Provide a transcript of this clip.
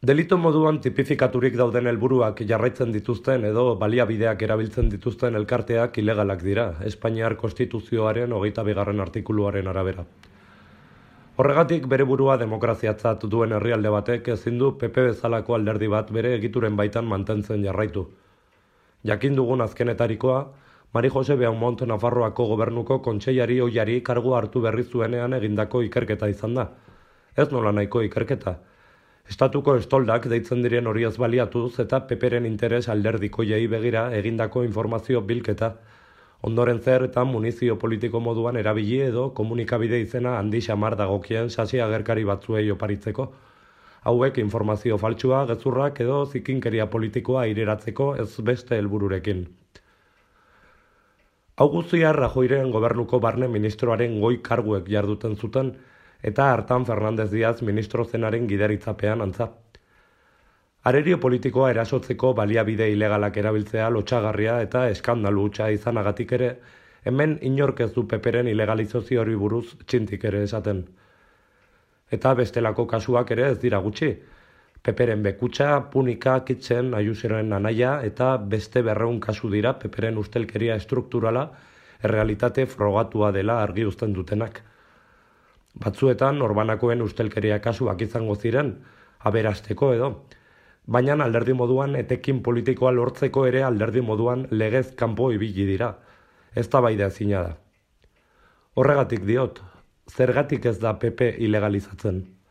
Delito moduan tipifikaturik dauden helburuak jarraitzen dituzten edo baliabideak erabiltzen dituzten elkarteak ilegalak dira, Espainiar Konstituzioaren 22. artikuluaren arabera. Horregatik bere burua demokraziatzat duen herrialde batek ezin du PP bezalako alderdi bat bere egituren baitan mantentzen jarraitu. Jakin dugun azkenetarikoa, Mari Jose Beaumont Nafarroako gobernuko kontseilari ohiari kargua hartu berri zuenean egindako ikerketa izan da. Ez nola nahiko ikerketa. Estatuko estoldak deitzen diren horiez baliatuz eta PPren interes alderdikoiei begira egindako informazio bilketa, ondoren zer eta munizio politiko moduan erabili edo komunikabide izena handi xamar dagokien sasi agerkari batzuei oparitzeko. Hauek informazio faltsua, gezurrak edo zikinkeria politikoa aireratzeko ez beste helbururekin. Hau guztia Rajoyren gobernuko barne ministroaren goi karguek jarduten zuten, eta hartan Fernández Díaz ministro zenaren gidaritzapean antza. Arerio politikoa erasotzeko baliabide ilegalak erabiltzea lotsagarria eta eskandalu hutsa izanagatik ere, hemen inork ez du PPren ilegalizazio hori buruz txintik ere esaten. Eta bestelako kasuak ere ez dira gutxi. PPren Bekutxa, Punika, Kitzen, Ayusoren anaia eta beste 200 kasu dira PPren ustelkeria estrukturala errealitate frogatua dela argi uzten dutenak. Batzuetan norbanakoen ustelkeria kasuak izango ziren, aberasteko edo, baina alderdi moduan etekin politikoa lortzeko ere alderdi moduan legez kanpo ibili dira, eztabaida ezina da. Horregatik diot, zergatik ez da PP ilegalizatzen?